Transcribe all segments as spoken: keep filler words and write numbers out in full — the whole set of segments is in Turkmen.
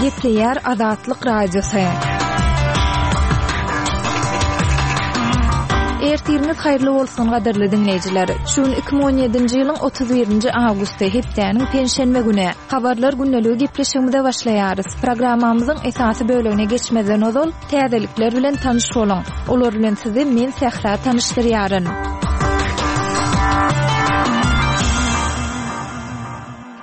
Gepleýär Azatlyk Radiosy. Ertiriňiz haýyrly bolsun gadyrly diňleýjiler. Şu gün iki müň on ýedinji ýylyň otuz birinji awgusty, hepdäniň penşenbe güni. Habarlar gündeligi gepleşigimize başlaýarys. Programmamyzyň esasy bölegine geçmezden ozal täzelikler bilen tanyş boluň. Olar bilen sizi men Sähra tanyşdyrýaryn.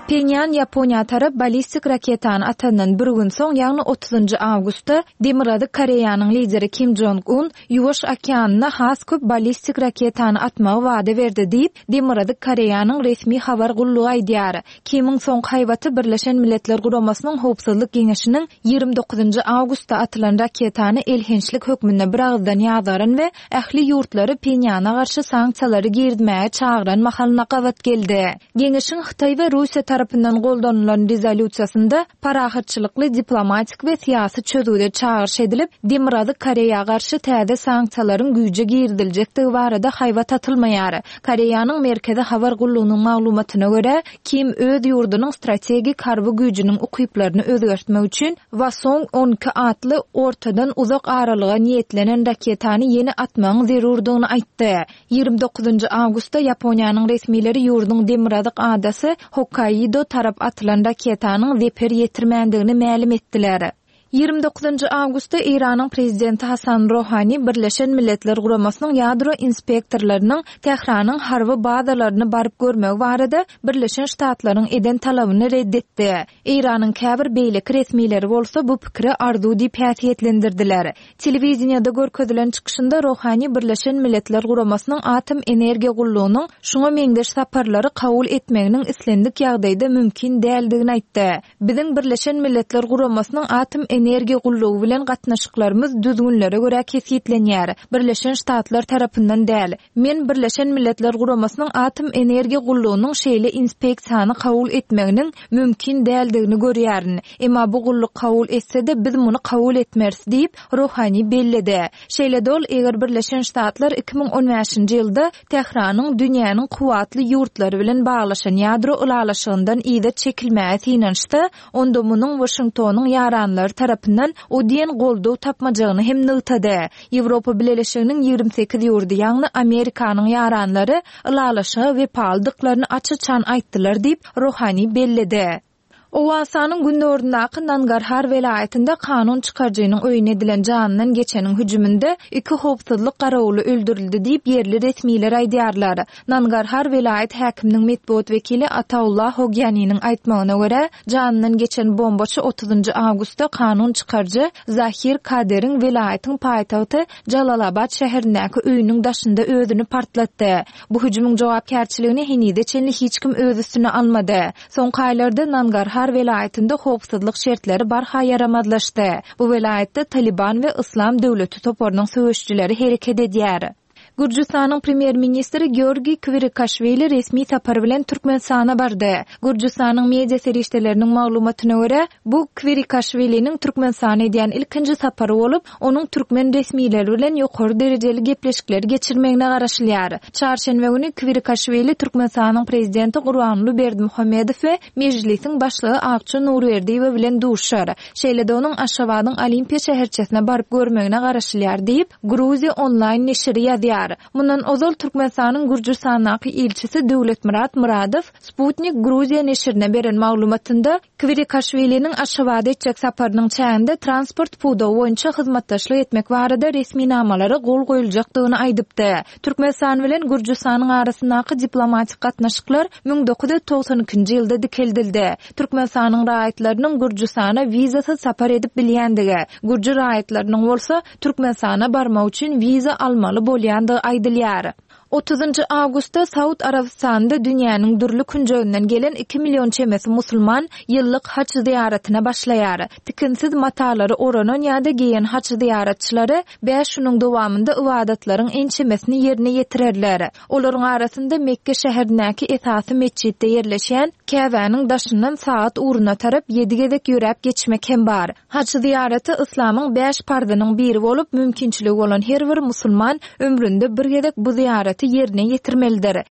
Phenýan Ýaponiýa tarap ballistik raketany atandan bir gün soň, ýagny otuzynjy awgustda Demirgazyk Koreýanyň lideri Kim Jong-un Ýuwaş okeanyna has köp ballistik raketany atmagy wada berdi diýip, Demirgazyk Koreýanyň resmi habar gullugy aýdýar. Kimiň soňky haýbaty Birleşen Milletler Guramasynyň Howpsuzlyk Geňeşiniň ýigrimi dokuzynjy awgustda atylan raketany elhençlik hökmünde bir agyzdan ýazgaran we ähli ýurtlary Phenýana garşy sanksiýalary girizmäge çagyran mahalyna gabat geldi. Geňeşiň Hytaý we Russiýa tarapyndan goldanylan rezolýusiýasynda parahatçylykly diplomatik we syýasy çözgüde çagyryş edilip, Demirgazyk Koreýa garşy täze sanksiýalaryň güýje giriziljekdigi barada haýbat atylmaýar. Koreýanyň Merkezi habar gullugynyň maglumatyna görä, Kim öz ýurdunyň strategik harby güýjüniň ukyplaryny özgertmek üçin Hwasong on iki atly ortadan uzak aralyga niýetlenen raketany ýene atmagyň zerurdygyny aýtdy. Ýigrimi dokuzynjy awgustda Ýaponiýanyň resmileri ýurduň demirgazyk adasy Hokkaido tarap atylan raketanyň zeper ýetirmändigini mälim etdiler. Ýigrimi dokuzynjy awgustda Eýranyň prezidenti Hasan Rohani Birleşen Milletler Guramasynyň ýadro inspektorlarynyň Tähranyň harby bazalaryny baryp görmegi barada Birleşen Ştatlaryň eden talabyny red etdi. Eýranyň käbir beýleki resmileri bolsa bu pikiri arzuw diýip häsiýetlendirdiler. Telewideniýede görkezilen çykyşynda Rohani Birleşen Milletler Guramasynyň Atom Energiýa Gullugynyň şuňa meňzeş saparlary kabul etmeginiň islendik ýagdaýda mümkin däldigini aýtdy. Biziň Birleşen Milletler Guramasynyň Atom Energiýa Gullugy bilen gatnaşyklarymyz düzgünlere görä kesgitlenýär. Birleşen Ştatlar tarapyndan däl. Men Birleşen Milletler Guramasynyň Atom Energiýa Gullugynyň şeýle inspeksiýany kabul etmeginiň mümkin däldigini görýärin. Emma bu gulluk kabul etse-de biz muny kabul etmeris diýip Rohani belledi. Şeýle dol eger Birleşen Ştatlar iki müň on bäşinji ýylda Tähranyň dünýäniň kuwwatly ýurtlary bilen baglaşan ýadro ylalaşygyndan yza çekilmäge synanyşsa, onda munuň Washingtonyň ýaranlary tarapyndan o diýen goldaw tapmajagyny hem nygtady. Ýewropa Bileleşiginiň ýigrimi sekiz ýurdy, ýagny Amerikanyň ýaranlary ylalaşyga wepalydyklaryny aç-açan aýtdylar diýip Rohani belledi. Owganystanyň günortasyndaky Nangarhar welaýatynda kanun çykaryjynyň öýüne edilen janyndan geçeniň hüjüminde iki howpsuzlyk garawuly öldürildi diýip ýerli resmiler aýdýarlar. Nangarhar welaýat häkiminiň metbugat wekili Ataullah Hogyaniniň aýtmagyna görä, janyndan geçen bombaçy otuzynjy awgustda kanun çykaryjy Zahir Kaderiň welaýatyň paýtagty Jalalabad şäherindäki öýüniň daşynda özüni partlatdy. Bu hüjümiň jogapkärçiligini henize çenli hiç kim öz üstüne almady. Soňky aýlarda Nangarhar welaýatynda howpsuzlyk şertleri barha ýaramazlaşdy. Bu welaýatda Taliban we Islam döwleti toparynyň söweşçileri hereket edýär. Gürjüstanyň premýer-ministri Georgiy Kvirikaşwili resmi sapar bilen Türkmenistana bardy. Gürjüstanyň media serişdeleriniň maglumatyna görä, bu Kvirikaşwiliniň Türkmenistana edýän ilkinji sapary bolup, onuň türkmen resmileri bilen ýokary derejeli gepleşikleri geçirmegine garaşylýar. Çarşenbe güni Kvirikaşwili Türkmenistanyň prezidenti Gurbanguly Berdimuhamedow we Mejlisiň başlygy Akça Nurberdiýewa bilen duşar. Şeýle-de onuň Aşgabadyň Olimpiýa şäherçesine baryp görmegine garaşylýar diýip, Gruziýa onlaýn neşiri ýazýar. Mundan ozal Türkmenistanyň Gürjüstandaky ilçisi Döwletmyrat Muradow Sputnik Gruziýa neşirine beren maglumatynda Kvirikaşwiliniň Aşgabada etjek saparynyň çäginde transport pudagy boýunça hyzmatdaşlyk etmek barada resminamalara gol goýuljakdygyny aýdypdy. Türkmenistan bilen Gürjüstanyň arasyndaky diplomatik gatnaşyklar müň dokuz ýüz togsan ikinji ýylda dikeldildi. Türkmenistanyň raýatlarynyň Gürjüstana wizasyz sapar edip bilýändigi, Gürjü raýatlarynyň bolsa Türkmenistana barmak üçin wiza almaly bolýandygy aýdylýar. Otuzynjy awgustda Saud Arabistanynda dünýäniň dürli künjeginden gelen iki million çemesi musulman ýyllyk haç zyýaratyna başlaýar. Tikinsiz matalary oranan ýa-da geýen haç zyýaratçylary bäş günüň dowamynda ibadatlaryň ençemesini ýerine ýetirerler. Olaryň arasynda Mekke şäherindäki esasy metjitde ýerleşýän Käbäniň daşyndan saat ugruna tarap ýedi gezek ýöräp geçmek hem bar. Haç zyýaraty Islamyň bäş parzynyň biri bolup, mümkinçiligi bolan her bir musulman ömründe bir gezek bu zyýaraty ýerine ýetirmelidir.